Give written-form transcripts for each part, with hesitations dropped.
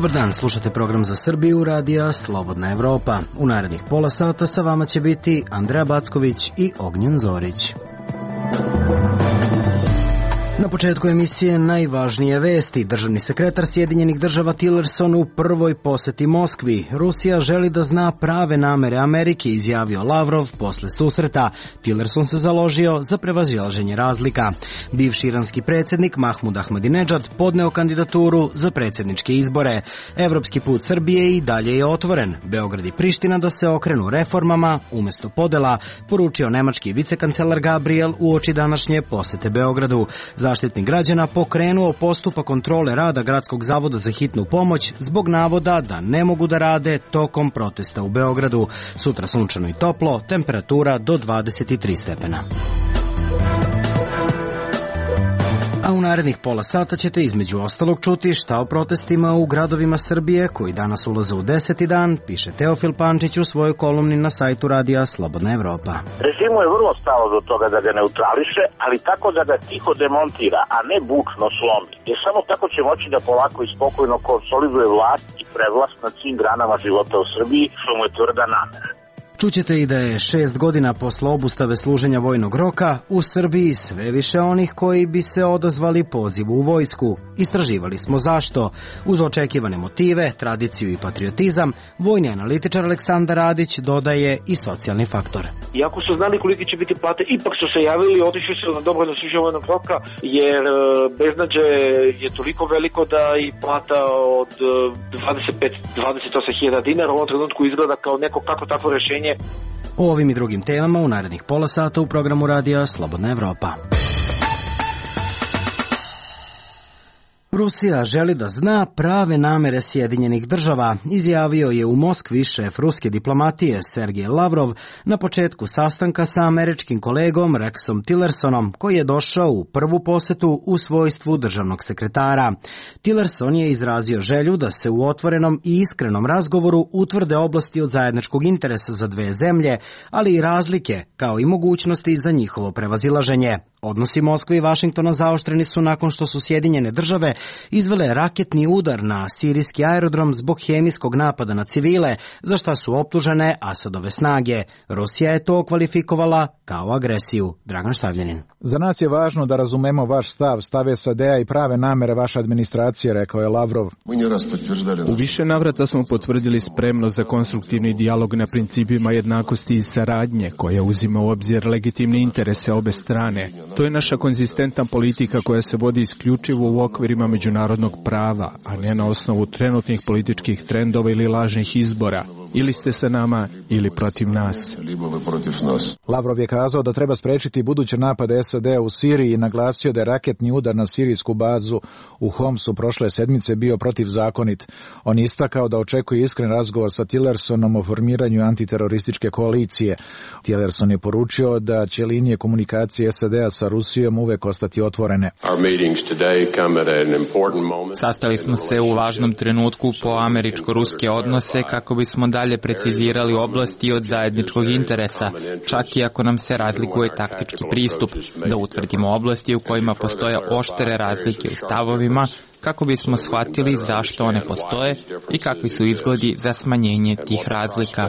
Dobar dan, slušate program za Srbiju radija Slobodna Evropa. U narednih pola sata sa vama će biti Andreja Backović i Ognjen Zorić. Na početku emisije najvažnije vesti. Državni sekretar Sjedinjenih država Tillerson u prvoj poseti Moskvi. Rusija želi da zna prave namere Amerike, izjavio Lavrov posle susreta. Tillerson se založio za prevazilaženje razlika. Bivši iranski predsjednik Mahmud Ahmadinejad podneo kandidaturu za predsjedničke izbore. Evropski put Srbije i dalje je otvoren. Beograd i Priština da se okrenu reformama umjesto podela, poručio nemački vicekancelar Gabriel uoči današnje posete Beogradu. Zaštitnik građana pokrenuo postupak kontrole rada Gradskog zavoda za hitnu pomoć zbog navoda da ne mogu da rade tokom protesta u Beogradu. Sutra sunčano i toplo, temperatura do 23 stepena. A u narednih pola sata ćete između ostalog čuti šta o protestima u gradovima Srbije koji danas ulaze u 10. dan, piše Teofil Pančić u svojoj kolumni na sajtu radija Slobodna Evropa. Režimu je vrlo stalo do toga da ga neutrališe, ali tako da ga tiho demontira, a ne bučno slomi. Jer samo tako će moći da polako i spokojno konsoliduje vlast i prevlast nad svim granama života u Srbiji, što mu je tvrda namera. Čućete i da je 6 godina posle obustave služenja vojnog roka u Srbiji sve više onih koji bi se odazvali pozivu u vojsku. Istraživali smo zašto. Uz očekivane motive, tradiciju i patriotizam, vojni analitičar Aleksandar Radić dodaje i socijalni faktor. Iako su znali koliki će biti plate, ipak su se javili, otišli su na dobrovoljno služenje vojnog roka, jer beznađe je toliko veliko da i plata od 28.000 dinara u ovom trenutku izgleda kao neko kako takvo rešenje. O ovim i drugim temama u narednih pola sata u programu radija Slobodna Evropa. Rusija želi da zna prave namere Sjedinjenih država, izjavio je u Moskvi šef ruske diplomatije Sergej Lavrov na početku sastanka sa američkim kolegom Rexom Tillersonom, koji je došao u prvu posetu u svojstvu državnog sekretara. Tillerson je izrazio želju da se u otvorenom i iskrenom razgovoru utvrde oblasti od zajedničkog interesa za dve zemlje, ali i razlike, kao i mogućnosti za njihovo prevazilaženje. Odnosi Moskve i Vašingtona zaoštreni su nakon što su Sjedinjene države izvele raketni udar na sirijski aerodrom zbog hemijskog napada na civile, za šta su optužene Asadove snage. Rusija je to kvalifikovala kao agresiju. Dragan Štavljanin. Za nas je važno da razumemo vaš stav SAD-a i prave namere vaše administracije, rekao je Lavrov. U više navrata smo potvrdili spremnost za konstruktivni dijalog na principima jednakosti i saradnje, koja uzima u obzir legitimne interese obe strane. To je naša konzistentna politika koja se vodi isključivo u okvirima međunarodnog prava, a ne na osnovu trenutnih političkih trendova ili lažnih izbora. Ili ste sa nama ili protiv nas. Lavrov je kazao da treba sprečiti buduće napade SAD-a u Siriji i naglasio da je raketni udar na sirijsku bazu u Homsu prošle sedmice bio protivzakonit. On istakao da očekuje iskren razgovor sa Tillersonom o formiranju antiterorističke koalicije. Tillerson je poručio da će linije komunikacije SAD-a sa Rusijom uvek ostati otvorene. Sastali smo se u važnom trenutku po američko-ruske odnose kako bismo dalje precizirali oblasti od zajedničkog interesa, čak i ako nam se razlikuje taktički pristup, da utvrdimo oblasti u kojima postoje oštre razlike u stavovima, kako bismo shvatili zašto one postoje i kakvi su izgledi za smanjenje tih razlika.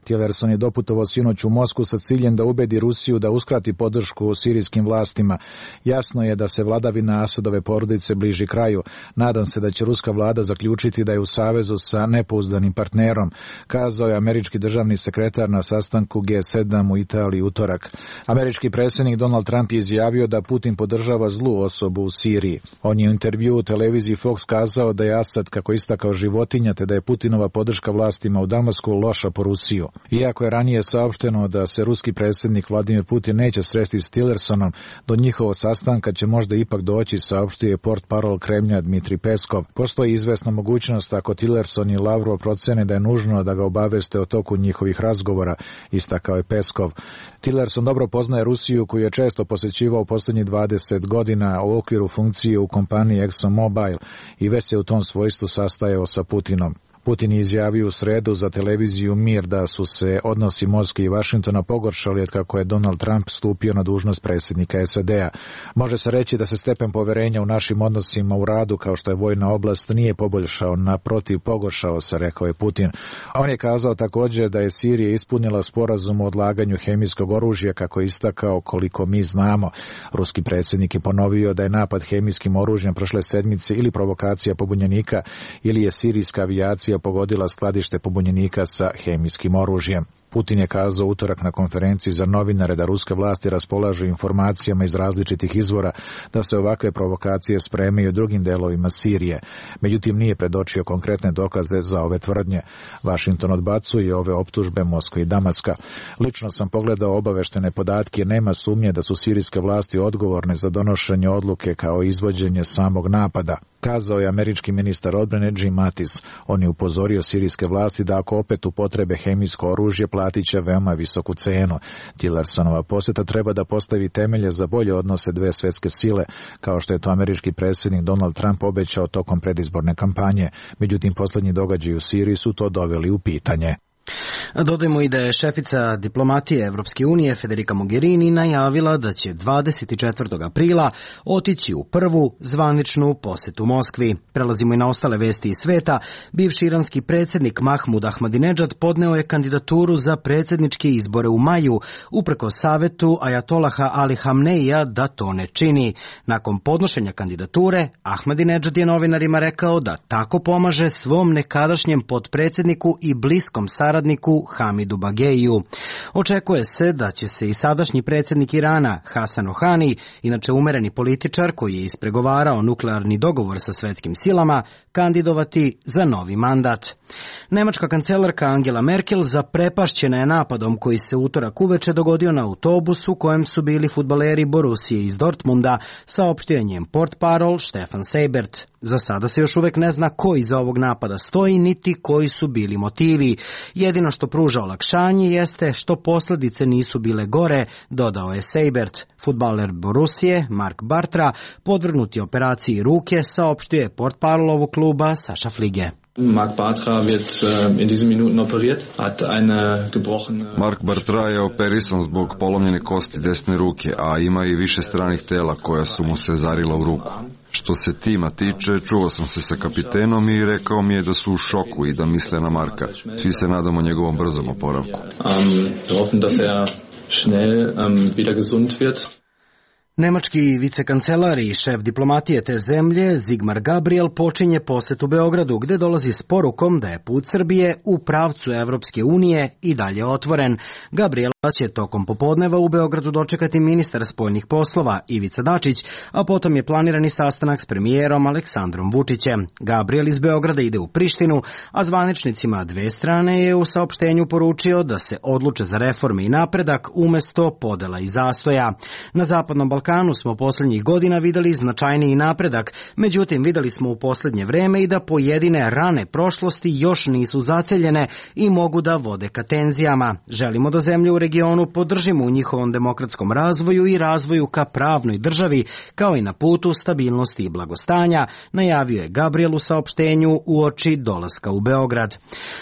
Tillerson je doputovao sinoć u Moskvu sa ciljem da ubedi Rusiju da uskrati podršku sirijskim vlastima. Jasno je da se vladavina Asadove porodice bliži kraju. Nadam se da će ruska vlada zaključiti da je u savezu sa nepouzdanim partnerom, kazao je američki državni sekretar na sastanku G7 u Italiji utorak. Američki predsjednik Donald Trump je izjavio da Putin podržava zlu osobu u Siriji. On je u intervjuu u televiziji Fox kazao da je Asad, kako istakao, životinja, te da je Putinova podrška vlastima u Damasku loša po Rusiju. Iako je ranije saopšteno da se ruski predsjednik Vladimir Putin neće sresti s Tillersonom, do njihovog sastanka će možda ipak doći, saopštio je portparol Kremlja Dmitrij Peskov. Postoji izvesna mogućnost ako Tillerson i Lavrov procene da je nužno da ga obaveste o toku njihovih razgovora, istakao je Peskov. Tillerson dobro poznaje Rusiju, koju je često posjećivao posljednjih 20 godina u okviru funkcije u kompaniji ExxonMobil i već se u tom svojstvu sastajao sa Putinom. Putin je izjavio u sredu za televiziju Mir da su se odnosi Moskve i Vašingtona pogoršali od kako je Donald Trump stupio na dužnost predsjednika SAD-a. Može se reći da se stepen poverenja u našim odnosima u radu, kao što je vojna oblast, nije poboljšao, naprotiv pogoršao se, rekao je Putin. On je kazao također da je Sirija ispunila sporazum o odlaganju hemijskog oružja, kako je istakao koliko mi znamo. Ruski predsjednik je ponovio da je napad hemijskim oružjem prošle sedmice ili provokacija pobunjenika ili je sirijska avijacija pogodila skladište pobunjenika sa hemijskim oružjem. Putin je kazao utorak na konferenciji za novinare da ruske vlasti raspolažu informacijama iz različitih izvora da se ovakve provokacije spremaju u drugim delovima Sirije. Međutim, nije predočio konkretne dokaze za ove tvrdnje. Vašington odbacuje ove optužbe Moskve i Damaska. Lično sam pogledao obaveštene podatke jer nema sumnje da su sirijske vlasti odgovorne za donošenje odluke kao izvođenje samog napada, kazao je američki ministar odbrane Jim Mattis. On je upozorio sirijske vlasti da ako opet upotrebe hemijsko oružje platit će veoma visoku cenu. Tillersonova posjeta treba da postavi temelje za bolje odnose dve svjetske sile, kao što je to američki predsjednik Donald Trump obećao tokom predizborne kampanje. Međutim, posljednji događaji u Siriji su to doveli u pitanje. Dodajmo i da je šefica diplomatije Evropske unije Federica Mogherini najavila da će 24. aprila otići u prvu zvaničnu posjetu Moskvi. Prelazimo i na ostale vesti iz sveta. Bivši iranski predsjednik Mahmud Ahmadinejad podneo je kandidaturu za predsjedničke izbore u maju, uprkos savetu Ajatolaha Ali Hamneija da to ne čini. Nakon podnošenja kandidature, Ahmadinejad je novinarima rekao da tako pomaže svom nekadašnjem potpredsjedniku i bliskom saradniku Hamidu Bageiju. Očekuje se da će se i sadašnji predsjednik Irana Hasan Rohani, inače umereni političar koji je ispregovarao nuklearni dogovor sa svetskim silama, kandidovati za novi mandat. Nemačka kancelarka Angela Merkel zaprepašćena je napadom koji se utorak uveče dogodio na autobusu u kojem su bili fudbaleri Borussije iz Dortmunda, saopštio je njen portparol Stefan Seibert. Za sada se još uvek ne zna ko iza ovog napada stoji, niti koji su bili motivi. Jedino što pruža olakšanje jeste što posljedice nisu bile gore, dodao je Seibert. Fudbaler Borussije, Mark Bartra, podvrgnut je operaciji ruke, saopštio je portparol ovog kluba Saša Flige. Mark Bartra wird in diesen Minuten operiert, hat eine gebrochene... Mark Bartra je operisan zbog polomljene kosti desne ruke, a ima i više stranih tela koja su mu se zarila u ruku. Što se tima tiče, čuo sam se sa kapitenom i rekao mi je da su u šoku i da misle na Marka. Svi se nadamo njegovom brzom oporavku. Hoffen, dass schnell wieder gesund wird. Nemački vicekancelar i šef diplomatije te zemlje, Sigmar Gabriel, počinje posjet u Beogradu, gde dolazi s porukom da je put Srbije u pravcu Evropske unije i dalje otvoren. Gabriela će tokom popodneva u Beogradu dočekati ministar spoljnih poslova Ivica Dačić, a potom je planirani sastanak s premijerom Aleksandrom Vučićem. Gabriel iz Beograda ide u Prištinu, a zvaničnicima dve strane je u saopštenju poručio da se odluče za reforme i napredak umesto podela i zastoja. Na Zapadnom Balkanu smo posljednjih godina videli značajniji napredak, međutim videli smo u posljednje vreme i da pojedine rane prošlosti još nisu zaceljene i mogu da vode ka tenzijama. Želimo da zemlje u regionu podržimo u njihovom demokratskom razvoju i razvoju ka pravnoj državi, kao i na putu stabilnosti i blagostanja, najavio je Gabriel u saopštenju uoči dolaska u Beograd.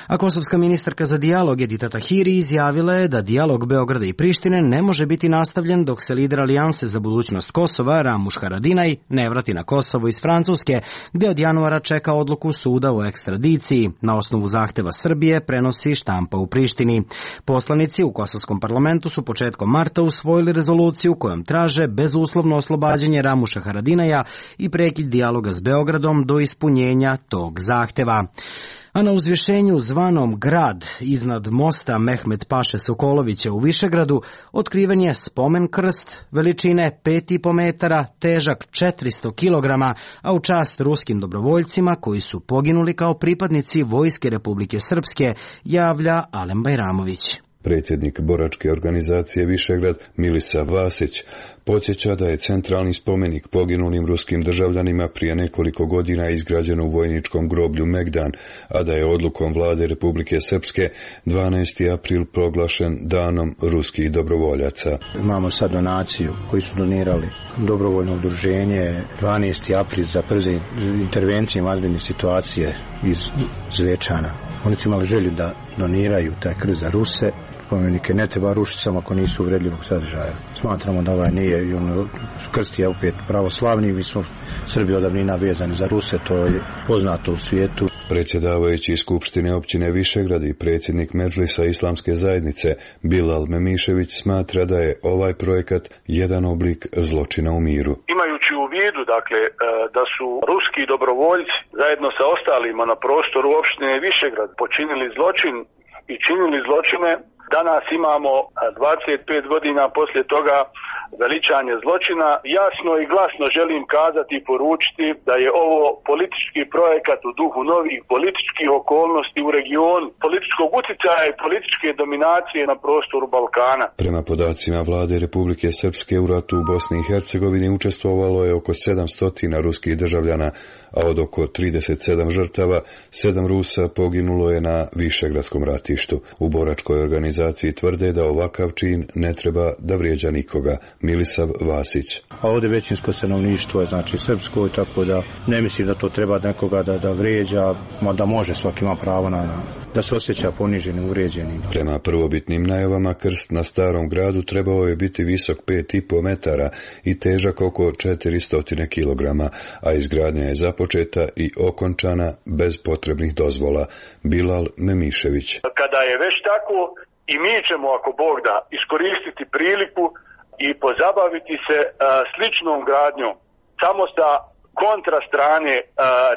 A kosovska ministarka za dijalog Edita Tahiri izjavila je da dijalog Beograda i Prištine ne može biti nastavljen dok se lider Alijanse za budućnost Kosova, Ramuš Haradinaj, ne vrati na Kosovo iz Francuske, gde od januara čeka odluku suda o ekstradiciji. Na osnovu zahteva Srbije prenosi štampa u Prištini. Poslanici u kosovskom parlamentu su početkom marta usvojili rezoluciju kojom traže bezuslovno oslobađanje Ramuša Haradinaja i prekid dijaloga s Beogradom do ispunjenja tog zahteva. A na uzvišenju zvanom Grad iznad mosta Mehmet Paše Sokolovića u Višegradu otkriven je spomen krst veličine 5,5 metara, težak 400 kilograma, a u čast ruskim dobrovoljcima koji su poginuli kao pripadnici Vojske Republike Srpske, javlja Alen Bajramović. Predsjednik boračke organizacije Višegrad Milisa Vasić podsjeća da je centralni spomenik poginulim ruskim državljanima prije nekoliko godina izgrađen u vojničkom groblju Megdan, a da je odlukom vlade Republike Srpske 12. april proglašen danom ruskih dobrovoljaca. Imamo sad donaciju koji su donirali dobrovoljno udruženje 12. april za brze intervencije vanredne situacije iz Zvečana. Oni su imali želju da doniraju taj krst za Ruse. Spomenike ne treba rušiti samo ako nisu uvredljivog sadržaja. Smatramo da ovaj nije, krst je opet pravoslavni, mi smo Srbi od davnina vezani za Ruse, to je poznato u svijetu. Predsjedavajući Skupštine općine Višegrad i predsjednik Medžlisa Islamske zajednice Bilal Memišević smatra da je ovaj projekat jedan oblik zločina u miru. Imajući u vidu, dakle, da su ruski dobrovoljci zajedno sa ostalima na prostoru opštine Višegrad počinili zločin i činili zločine, danas imamo 25 godina poslije toga veličanje zločina. Jasno i glasno želim kazati i poručiti da je ovo politički projekat u duhu novih političkih okolnosti u regionu, političkog utjecaja i političke dominacije na prostoru Balkana. Prema podacima vlade Republike Srpske u ratu u Bosni i Hercegovini učestvovalo je oko 700 ruskih državljana, a od oko 37 žrtava 7 Rusa poginulo je na Višegradskom ratištu. U boračkoj organizaciji tvrde da ovakav čin ne treba da vrijeđa nikoga. Milisav Vasić. A ovdje većinsko stanovništvo je znači srpsko, tako da ne mislim da to treba nekoga da vrijeđa, da može, svaki ima pravo da se osjeća poniženim, uvrijeđenim. Prema prvobitnim najavama krst na Starom gradu trebao je biti visok 5,5 metara i težak oko 400 kilograma, a izgradnja je započeta i okončana bez potrebnih dozvola. Bilal Memišević. Kada je već tako, i mi ćemo, ako Bog da, iskoristiti priliku i pozabaviti se sličnom gradnjom, samo sa kontra strane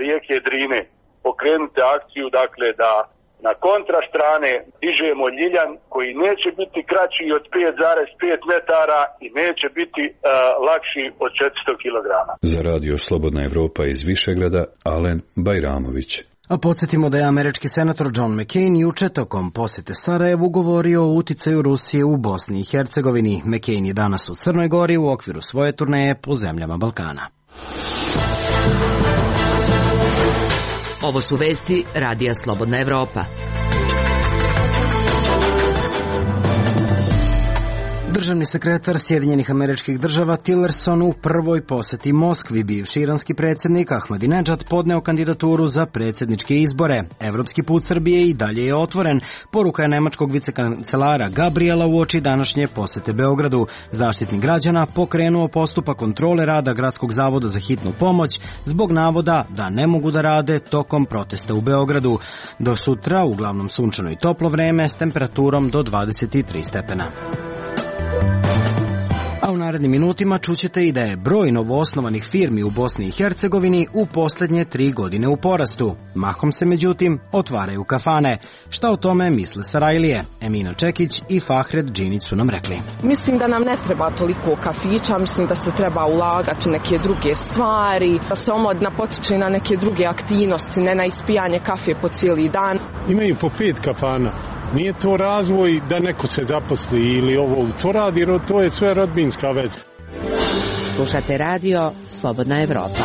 rijeke Drine. Pokrenuti akciju, dakle, da na kontra strane dižemo ljiljan koji neće biti kraći od 5,5 metara i neće biti lakši od 400 kilograma. Za radio Slobodna Evropa iz Višegrada, Alen Bajramović. A podsjetimo da je američki senator John McCain juče tokom posjete Sarajevu govorio o uticaju Rusije u Bosni i Hercegovini. McCain je danas u Crnoj Gori u okviru svoje turneje po zemljama Balkana. Ovo su vesti Radija Slobodna Evropa. Državni sekretar Sjedinjenih Američkih Država Tillerson u prvoj posjeti Moskvi, bivši iranski predsjednik Ahmadinejad podneo kandidaturu za predsjedničke izbore. Evropski put Srbije i dalje je otvoren, poruka je nemačkog vicekancelara Gabriela uoči današnje posjete Beogradu. Zaštitnik građana pokrenuo postupak kontrole rada Gradskog zavoda za hitnu pomoć zbog navoda da ne mogu da rade tokom protesta u Beogradu. Do sutra uglavnom sunčano i toplo vreme s temperaturom do 23 stepena. A u narednim minutima čućete i da je broj novoosnovanih firmi u Bosni i Hercegovini u posljednje 3 godine u porastu. Mahom se međutim otvaraju kafane. Šta o tome misle Sarajlije? Emina Čekić i Fahred Džinić su nam rekli. Mislim da nam ne treba toliko kafića, mislim da se treba ulagati u neke druge stvari, da se omladina potiče na neke druge aktivnosti, ne na ispijanje kafe po cijeli dan. Imaju po 5 kafana. Nije to razvoj da neko se zaposli ili ovo to radi, jer to je sve rodbinska veza. Slušate radio Slobodna Evropa.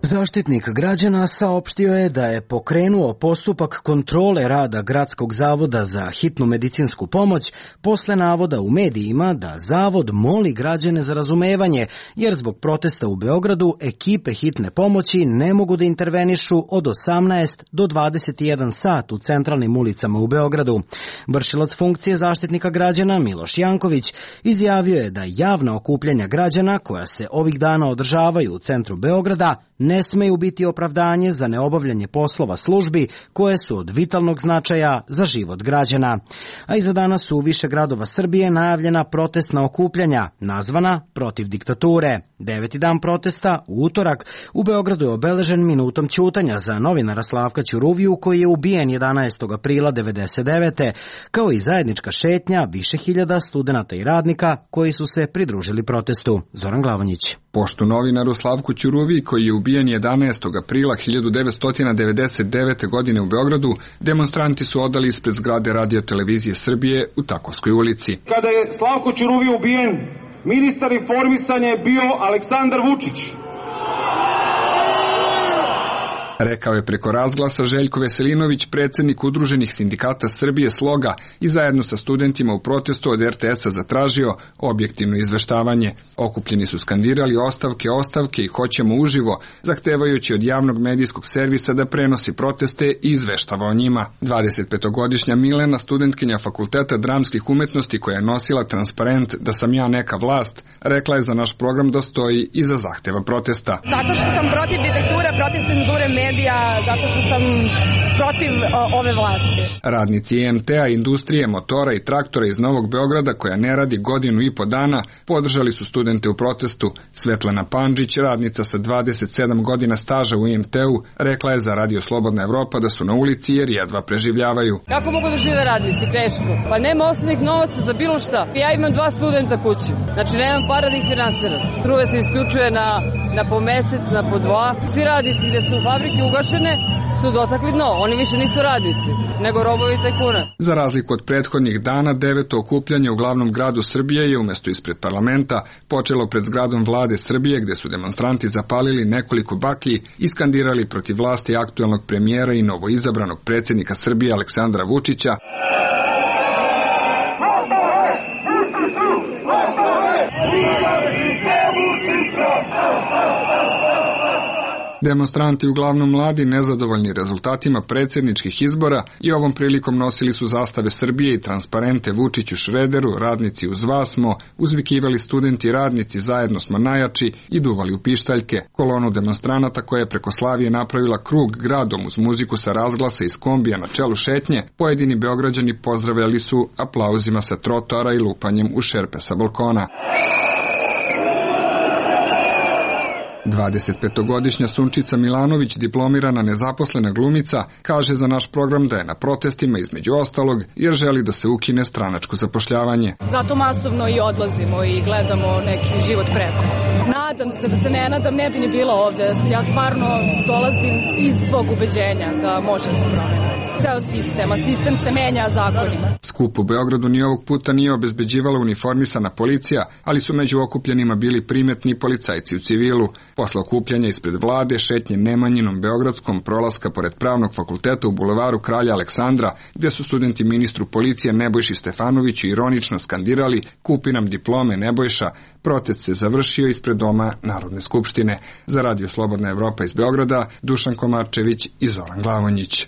Zaštitnik građana saopštio je da je pokrenuo postupak kontrole rada Gradskog zavoda za hitnu medicinsku pomoć posle navoda u medijima da zavod moli građane za razumevanje, jer zbog protesta u Beogradu ekipe hitne pomoći ne mogu da intervenišu od 18 do 21 sat u centralnim ulicama u Beogradu. Vršilac funkcije zaštitnika građana Miloš Janković izjavio je da javna okupljanja građana koja se ovih dana održavaju u centru Beograda ne smeju biti opravdanje za neobavljanje poslova službi koje su od vitalnog značaja za život građana. A i za danas su u više gradova Srbije najavljena protestna okupljanja, nazvana Protiv diktature. 9. dan protesta, u utorak, u Beogradu je obeležen minutom ćutanja za novinara Slavka Ćuruviju koji je ubijen 11. aprila 1999. kao i zajednička šetnja više hiljada studenata i radnika koji su se pridružili protestu. Zoran Glavonjić. Pošto novinaru Slavku Ćuruviji koji je ubijen 11. aprila 1999. godine u Beogradu, demonstranti su odali ispred zgrade Radio televizije Srbije u Takovskoj ulici. Kada je Slavko Ćuruvija ubijen, ministar informisanja je bio Aleksandar Vučić. Rekao je preko razglasa Željko Veselinović, predsjednik Udruženih sindikata Srbije Sloga, i zajedno sa studentima u protestu od RTS-a zatražio objektivno izveštavanje. Okupljeni su skandirali ostavke i hoćemo uživo, zahtevajući od javnog medijskog servisa da prenosi proteste i izveštava o njima. 25-godišnja Milena, studentkinja Fakulteta dramskih umetnosti koja je nosila transparent Da sam ja neka vlast, rekla je za naš program da stoji iza zahteva protesta. Zato što sam protiv diktature, protiv cenzure medija, zato što sam protiv ove vlasti. Radnici EMT-a, industrije, motora i traktora iz Novog Beograda, koja ne radi godinu i po dana, podržali su studente u protestu. Svetlana Pandžić, radnica sa 27 godina staža u EMT-u, rekla je za Radio Slobodna Evropa da su na ulici jer jedva preživljavaju. Kako mogu da žive radnici? Teško. Pa nema osnovnih novaca za bilo šta. Ja imam 2 studenta kući. Znači nemam para da ih finansiram. Struje se isključuje na po mesec, na po 2. Svi radnici gde su fabrike ugašene su dotakli dno. Oni više nisu radnici, nego robovi tajkuna. Za razliku od prethodnih dana, 9. okupljanje u glavnom gradu Srbije je umjesto ispred parlamenta počelo pred zgradom vlade Srbije, gde su demonstranti zapalili nekoliko baklji i skandirali protiv vlasti aktuelnog premijera i novoizabranog predsjednika Srbije Aleksandra Vučića. Demonstranti, uglavnom mladi, nezadovoljni rezultatima predsjedničkih izbora, i ovom prilikom nosili su zastave Srbije i transparente Vučiću Šrederu, radnici uz vas smo, uzvikivali studenti i radnici zajedno smo najjači i duvali u pištaljke. Kolonu demonstranata koja je preko Slavije napravila krug gradom uz muziku sa razglasa iz kombija na čelu šetnje, pojedini Beograđani pozdravljali su aplauzima sa trotoara i lupanjem u šerpe sa balkona. 25-godišnja Sunčica Milanović, diplomirana nezaposlena glumica, kaže za naš program da je na protestima između ostalog jer želi da se ukine stranačko zapošljavanje. Zato masovno i odlazimo i gledamo neki život preko. Nadam se da se ne nadam, ne bi ni bila ovde. Ja stvarno dolazim iz svog ubeđenja da može da se promeni ceo sistem, a sistem se menja zakonima. Skup u Beogradu ni ovog puta nije obezbeđivala uniformisana policija, ali su među okupljenima bili primetni policajci u civilu. Posle okupljanja ispred vlade, šetnje Nemanjinom Beogradskom, prolaska pored Pravnog fakulteta u bulevaru Kralja Aleksandra, gde su studenti ministru policije Nebojši Stefanoviću ironično skandirali "Kupi nam diplome, Nebojša", protest se završio ispred doma Narodne skupštine. Za Radio Slobodna Evropa iz Beograda, Dušan Komarčević i Zoran Glavonjić.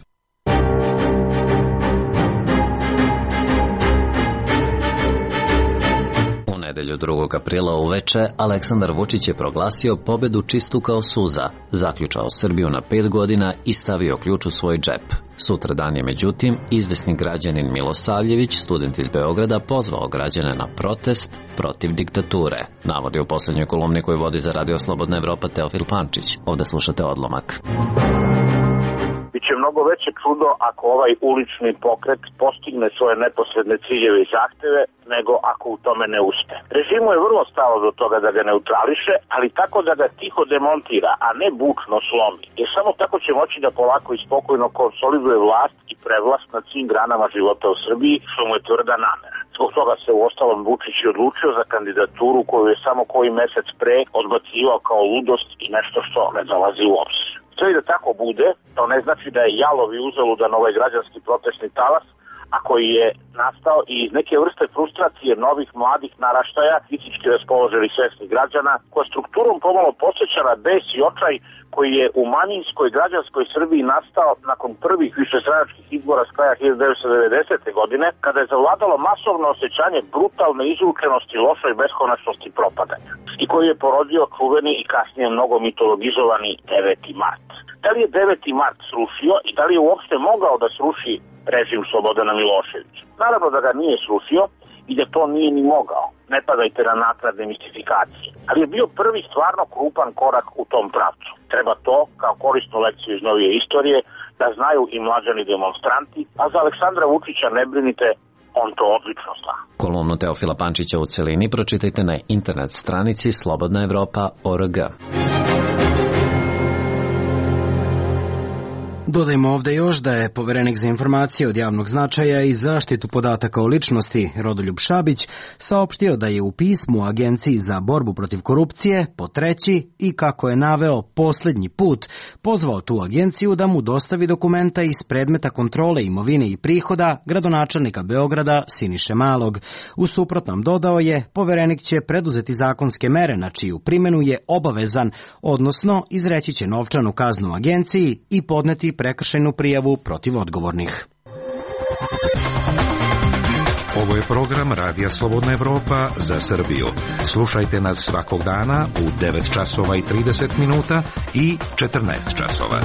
Nedelju 2. aprila uveče Aleksandar Vučić je proglasio pobedu čistu kao suza, zaključao Srbiju na 5 godina i stavio ključ u svoj džep. Sutradan je međutim izvesni građanin Milosavljević, student iz Beograda, pozvao građane na protest protiv diktature. Navodi u poslednjoj kolumni koju vodi za Radio Slobodna Evropa Teofil Pančić. Ovde slušate odlomak. Biće mnogo veće čudo ako ovaj ulični pokret postigne svoje neposredne ciljeve i zahteve, nego ako u tome ne uspe. Režimu je vrlo stalo do toga da ga neutrališe, ali tako da ga tiho demontira, a ne bučno slomi. Jer samo tako će moći da polako i spokojno konsoliduje vlast i prevlast nad svim granama života u Srbiji, što mu je tvrda namera. Zbog toga se u ostalom Vučić i odlučio za kandidaturu koju je samo koji mesec pre odbacivao kao ludost i nešto što ne dolazi u obzir. Sve i da tako bude, to ne znači da je jalov i uzaludan ovaj građanski protestni talas, a koji je nastao i iz neke vrste frustracije novih mladih naraštaja, fizički raspoloženih svesnih građana, koja strukturom pomalo podsjeća na bes i očaj koji je u manjinskoj građanskoj Srbiji nastao nakon prvih višestranačkih izbora s kraja 1990. godine, kada je zavladalo masovno osjećanje brutalne izručenosti, lošoj beskonačnosti propadanja, i koji je porodio čuveni i kasnije mnogo mitologizovani 9. mart. Da li je 9. mart srušio i da li je uopšte mogao da sruši režim Slobodana Miloševića? Naravno da ga nije srušio, i da to nije ni mogao. Ne padajte na nakladne mistifikacije. Ali je bio prvi stvarno krupan korak u tom pravcu. Treba to, kao korisnu lekciju iz novije istorije, da znaju i mlađani demonstranti, a za Aleksandra Vučića ne brinite, on to odlično zna. Kolumnu Teofila Pančića u celini pročitajte na internet stranici slobodnaevropa.org. Dodajmo ovde još da je Poverenik za informacije od javnog značaja i zaštitu podataka o ličnosti Rodoljub Šabić saopštio da je u pismu Agenciji za borbu protiv korupcije po treći i, kako je naveo, poslednji put pozvao tu agenciju da mu dostavi dokumenta iz predmeta kontrole imovine i prihoda gradonačelnika Beograda Siniše Malog. U suprotnom, dodao je, Poverenik će preduzeti zakonske mere na čiju primenu je obavezan, odnosno izreći će novčanu kaznu agenciji i podneti prekršajnu prijavu protiv odgovornih. Ovo je program Radija Slobodna Evropa za Srbiju. Slušajte nas svakog dana u 9 časova i 30 minuta i 14 časova.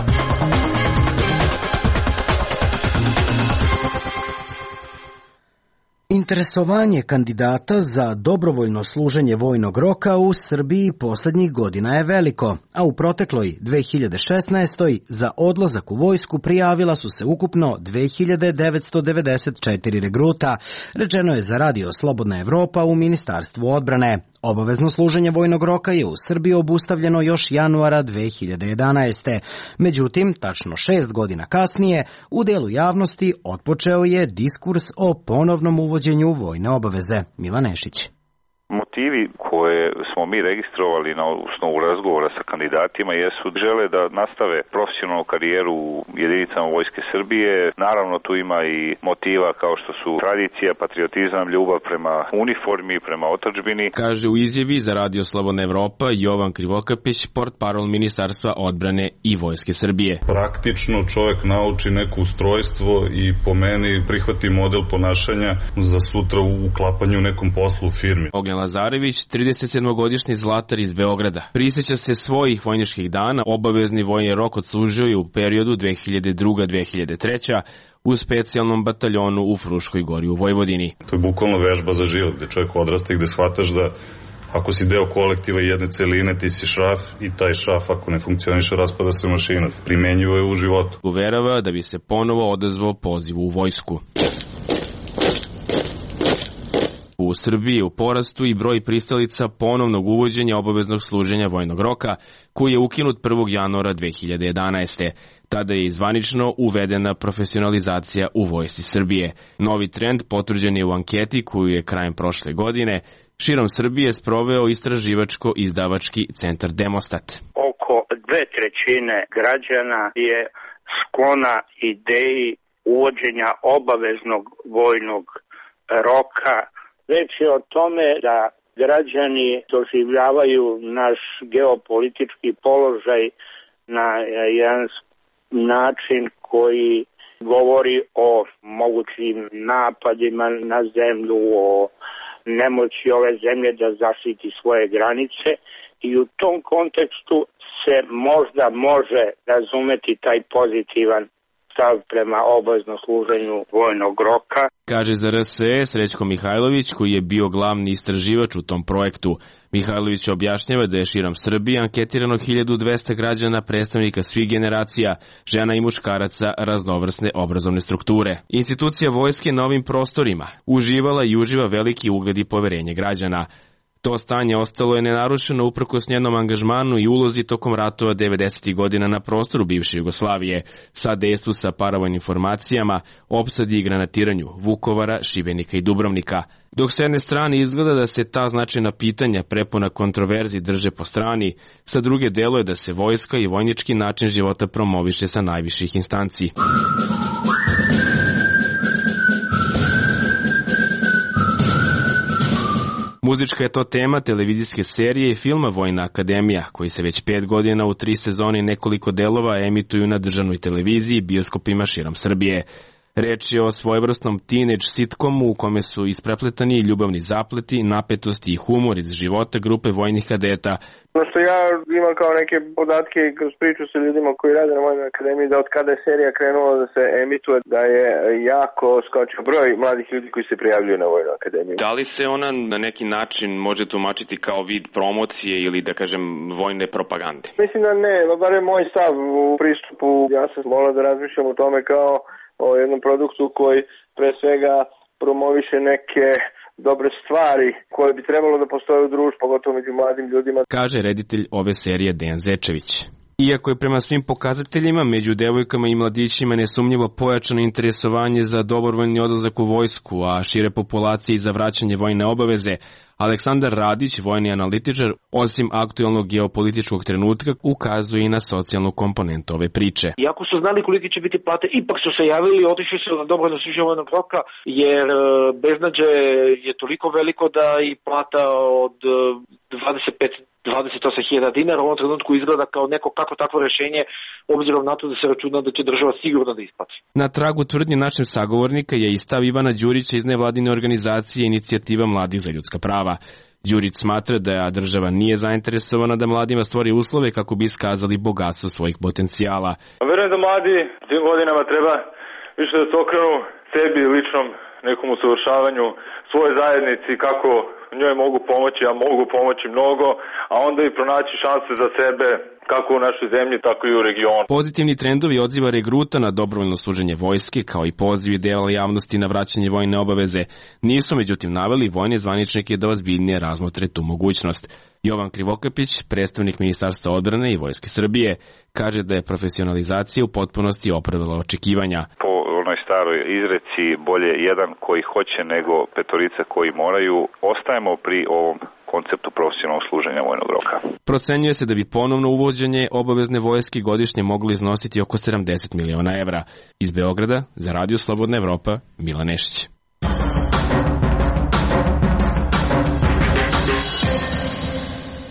Interesovanje kandidata za dobrovoljno služenje vojnog roka u Srbiji poslednjih godina je veliko, a u protekloj 2016. za odlazak u vojsku prijavila su se ukupno 2994 regruta, rečeno je za Radio Slobodna Evropa u Ministarstvu odbrane. Obavezno služenje vojnog roka je u Srbiji obustavljeno još januara 2011. Međutim, tačno 6 godina kasnije, u delu javnosti otpočeo je diskurs o ponovnom uvođenju vojne obaveze. Milan Nešić. Motivi koje smo mi registrovali na osnovu razgovora sa kandidatima jesu žele da nastave profesionalnu karijeru u jedinicama Vojske Srbije. Naravno tu ima i motiva kao što su tradicija, patriotizam, ljubav prema uniformi, prema otadžbini. Kaže u izjavi za Radio Slobodna Evropa Jovan Krivokapić, portparol Ministarstva odbrane i Vojske Srbije. Praktično čovjek nauči neko ustrojstvo i po meni prihvati model ponašanja za sutra u uklapanju u nekom poslu u firmi. Ognjen Lazarević, 37-godišnji zlatar iz Beograda. Prisjeća se svojih vojničkih dana, obavezni vojni rok odslužio je u periodu 2002-2003 u specijalnom bataljonu u Fruškoj Gori u Vojvodini. To je bukvalno vežba za život, gde čovjek odrasta i gde shvataš da ako si deo kolektiva jedne celine, ti si šraf i taj šraf ako ne funkcioniše raspada se mašina. Primenjivo je u životu. Uverava da bi se ponovo odazvao pozivu u vojsku. U Srbiji je u porastu i broj pristalica ponovnog uvođenja obaveznog služenja vojnog roka, koji je ukinut 1. januara 2011. Tada je zvanično uvedena profesionalizacija u Vojsci Srbije. Novi trend potvrđen je u anketi koju je krajem prošle godine širom Srbije sproveo istraživačko-izdavački centar Demostat. Oko 2/3 građana je sklona ideji uvođenja obaveznog vojnog roka. Reč je o tome da građani doživljavaju naš geopolitički položaj na jedan način koji govori o mogućim napadima na zemlju, o nemoći ove zemlje da zaštiti svoje granice i u tom kontekstu se možda može razumeti taj pozitivan stav prema obaveznom služenju vojnog roka. Kaže za RSE Srećko Mihajlović, koji je bio glavni istraživač u tom projektu. Mihajlović objašnjava da je širom Srbije anketirano 1200 građana, predstavnika svih generacija, žena i muškaraca raznovrsne obrazovne strukture. Institucija vojske na ovim prostorima uživala i uživa veliki ugled i poverenje građana. To stanje ostalo je nenarušeno uprkos njenom angažmanu i ulozi tokom ratova 90. godina na prostoru bivše Jugoslavije, sa dejstvu sa paravojnim formacijama, opsadi i granatiranju Vukovara, Šibenika i Dubrovnika. Dok s jedne strane izgleda da se ta značajna pitanja prepuna kontroverzi drže po strani, sa druge deluje da se vojska i vojnički način života promoviše sa najviših instanci. Muzička je to tema televizijske serije i filma Vojna akademija, koji se već 5 godina u 3 sezone i nekoliko delova emituju na državnoj televiziji i bioskopima širom Srbije. Reč je o svojevrsnom teenage sitcomu u kome su isprepletani ljubavni zapleti, napetosti i humor iz života grupe vojnih kadeta. Ono što ja imam kao neke podatke kroz priču sa ljudima koji rade na Vojnoj akademiji, da od kada je serija krenula da se emituje, da je jako skočio broj mladih ljudi koji se prijavljuju na Vojnu akademiju. Da li se ona na neki način može tumačiti kao vid promocije ili da kažem vojne propagande? Mislim da ne, bar je moj stav u pristupu. Ja sam morao da razmišljam o tome kao o jednom produktu koji pre svega promoviše neke dobre stvari koje bi trebalo da postoje u društvu, pogotovo među mladim ljudima. Kaže reditelj ove serije Dejan Zečević. Iako je prema svim pokazateljima među devojkama i mladićima nesumnjivo pojačano interesovanje za dobrovoljni odlazak u vojsku, a šire populacije i za vraćanje vojne obaveze, Aleksandar Radić, vojni analitičar, osim aktuelnog geopolitičkog trenutka, ukazuje i na socijalnu komponentu ove priče. Iako su znali koliki će biti plate, ipak su se javili i otišli su na dobrovoljno služenje vojnog roka, jer beznađe je toliko veliko da i plata od 28.000 dinara u ovom trenutku izgleda kao neko kako takvo rešenje, obzirom na to da se računa da će država sigurno da isplati. Na tragu tvrdnje našeg sagovornika je i stav Ivana Đurića iz nevladine organizacije Inicijativa mladih za ljudska prava. Đurić smatra da država nije zainteresovana da mladima stvori uslove kako bi iskazali bogatstvo svojih potencijala. Verujem da mladi tim godinama treba više da se okrenu sebi, ličnom nekom usavršavanju, svoje zajednici, kako njoj mogu pomoći, a mogu pomoći mnogo, a onda i pronaći šanse za sebe kako u našoj zemlji, tako i u regionu. Pozitivni trendovi odziva regruta na dobrovoljno služenje vojske, kao i pozivi dela javnosti na vraćanje vojne obaveze, nisu međutim naveli vojne zvaničnike da ozbiljnije razmotre tu mogućnost. Jovan Krivokapić, predstavnik Ministarstva odbrane i Vojske Srbije, kaže da je profesionalizacija u potpunosti opravdala očekivanja. Po onoj staroj izreci bolje jedan koji hoće nego petorica koji moraju, ostajemo pri ovom konceptu profesionalnog služenja vojnog roka. Procenjuje se da bi ponovno uvođenje obavezne vojske godišnje moglo iznositi oko 70 miliona evra. Iz Beograda, za Radio Slobodna Evropa, Milan Nešić.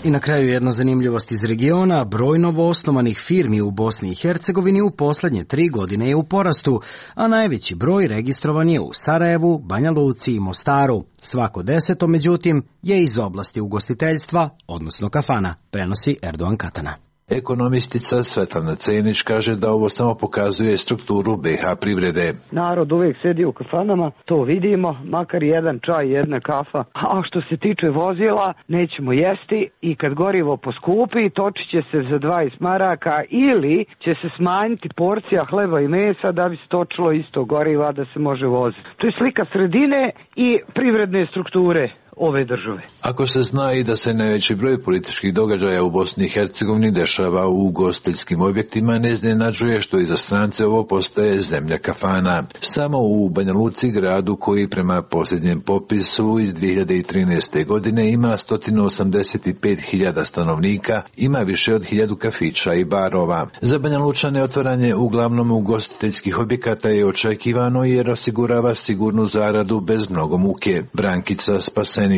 I na kraju jedna zanimljivost iz regiona, broj novoosnovanih firmi u Bosni i Hercegovini u poslednje 3 godine je u porastu, a najveći broj registrovan je u Sarajevu, Banja Luci i Mostaru. Svako 10. međutim je iz oblasti ugostiteljstva, odnosno kafana, prenosi Erdogan Katana. Ekonomistica Svetlana Cenić kaže da ovo samo pokazuje strukturu BiH privrede. Narod uvijek sedi u kafanama, to vidimo, makar jedan čaj, jedna kafa. A što se tiče vozila, nećemo jesti i kad gorivo poskupi, točit će se za 20 maraka ili će se smanjiti porcija hleba i mesa da bi se točilo isto goriva da se može voziti. To je slika sredine i privredne strukture ove države. Ako se zna i da se najveći broj političkih događaja u Bosni i Hercegovini dešava u ugostiteljskim objektima, ne iznenađuje što i za strance ovo postaje zemlja kafana. Samo u Banja Luci, gradu koji prema posljednjem popisu iz 2013. godine ima 185.000 stanovnika, ima više od 1000 kafića i barova. Za Banja Lučane otvaranje uglavnom ugostiteljskih objekata je očekivano jer osigurava sigurnu zaradu bez mnogo muke. Brankica Spasen.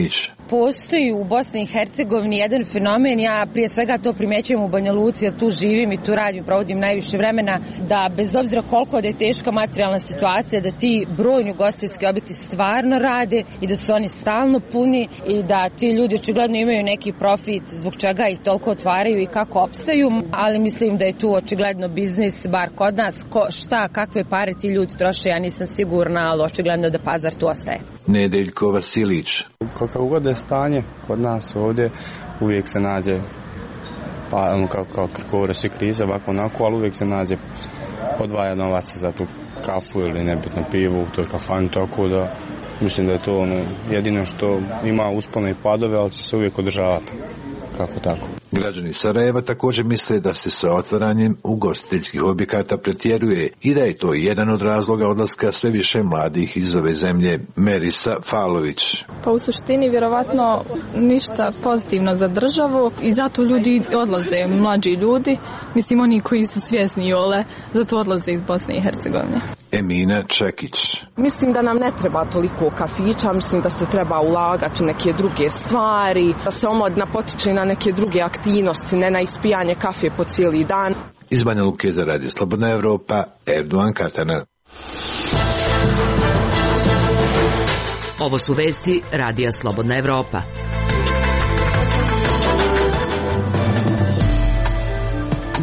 Postoji u Bosni i Hercegovini jedan fenomen, ja prije svega to primjećujem u Banja Luci, jer tu živim i tu radim, provodim najviše vremena, da bez obzira koliko da je teška materijalna situacija, da ti brojni ugostiteljski objekti stvarno rade i da su oni stalno puni i da ti ljudi očigledno imaju neki profit zbog čega ih toliko otvaraju i kako opstaju, ali mislim da je tu očigledno biznis, bar kod nas, kakve pare ti ljudi troše, ja nisam sigurna, ali očigledno da pazar tu ostaje. Nedeljko Vasilić. Kako god je stanje kod nas ovdje, uvijek se nađe, pa kao govore svi krize, ovako onako, ali uvijek se nađe odvaja novaca za tu kafu ili nebitno pivu u toj kafani, tako da mislim da je to jedino što ima uspone i padove, ali će se uvijek održavati. Kako tako. Građani Sarajeva također misle da se sa otvaranjem ugostiteljskih objekata pretjeruje i da je to jedan od razloga odlaska sve više mladih iz ove zemlje. Merisa Falović. Pa u suštini vjerovatno ništa pozitivno za državu i zato ljudi odlaze, mlađi ljudi, mislim oni koji su svjesni zato odlaze iz Bosne i Hercegovine. Emina Čekić. Mislim da nam ne treba toliko kafića, mislim da se treba ulagati u neke druge stvari, da se omladina potiče na neke druge aktivnosti, ne na ispijanje kafe po cijeli dan. Iz Banja Luke za Radio Slobodna Evropa, Erdogan Katana. Ovo su vesti Radija Slobodna Evropa.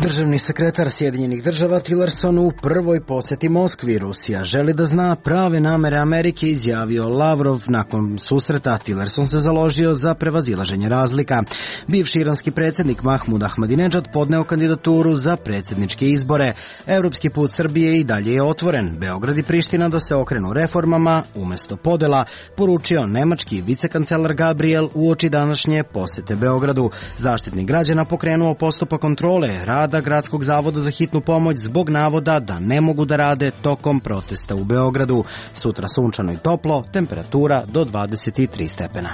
Državni sekretar Sjedinjenih država Tillerson u prvoj posjeti Moskvi. Rusija želi da zna prave namere Amerike, izjavio Lavrov. Nakon susreta Tillerson se založio za prevazilaženje razlika. Bivši iranski predsjednik Mahmud Ahmadinejad podneo kandidaturu za predsjedničke izbore. Europski put Srbije i dalje je otvoren. Beograd i Priština da se okrenu reformama umjesto podela, poručio nemački vicekancelar Gabriel uoči današnje posjete Beogradu. Zaštitnik građana pokrenuo postupak kontrole rada Gradskog zavoda za hitnu pomoć zbog navoda da ne mogu da rade tokom protesta u Beogradu. Sutra sunčano i toplo, temperatura do 23 stepena.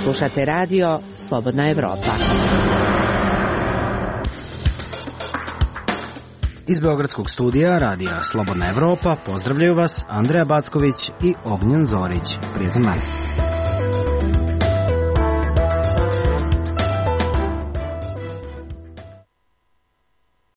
Slušate radio Slobodna Evropa. Iz Beogradskog studija radija Slobodna Evropa pozdravljaju vas Andreja Backović i Ognjen Zorić. Prijatan dan.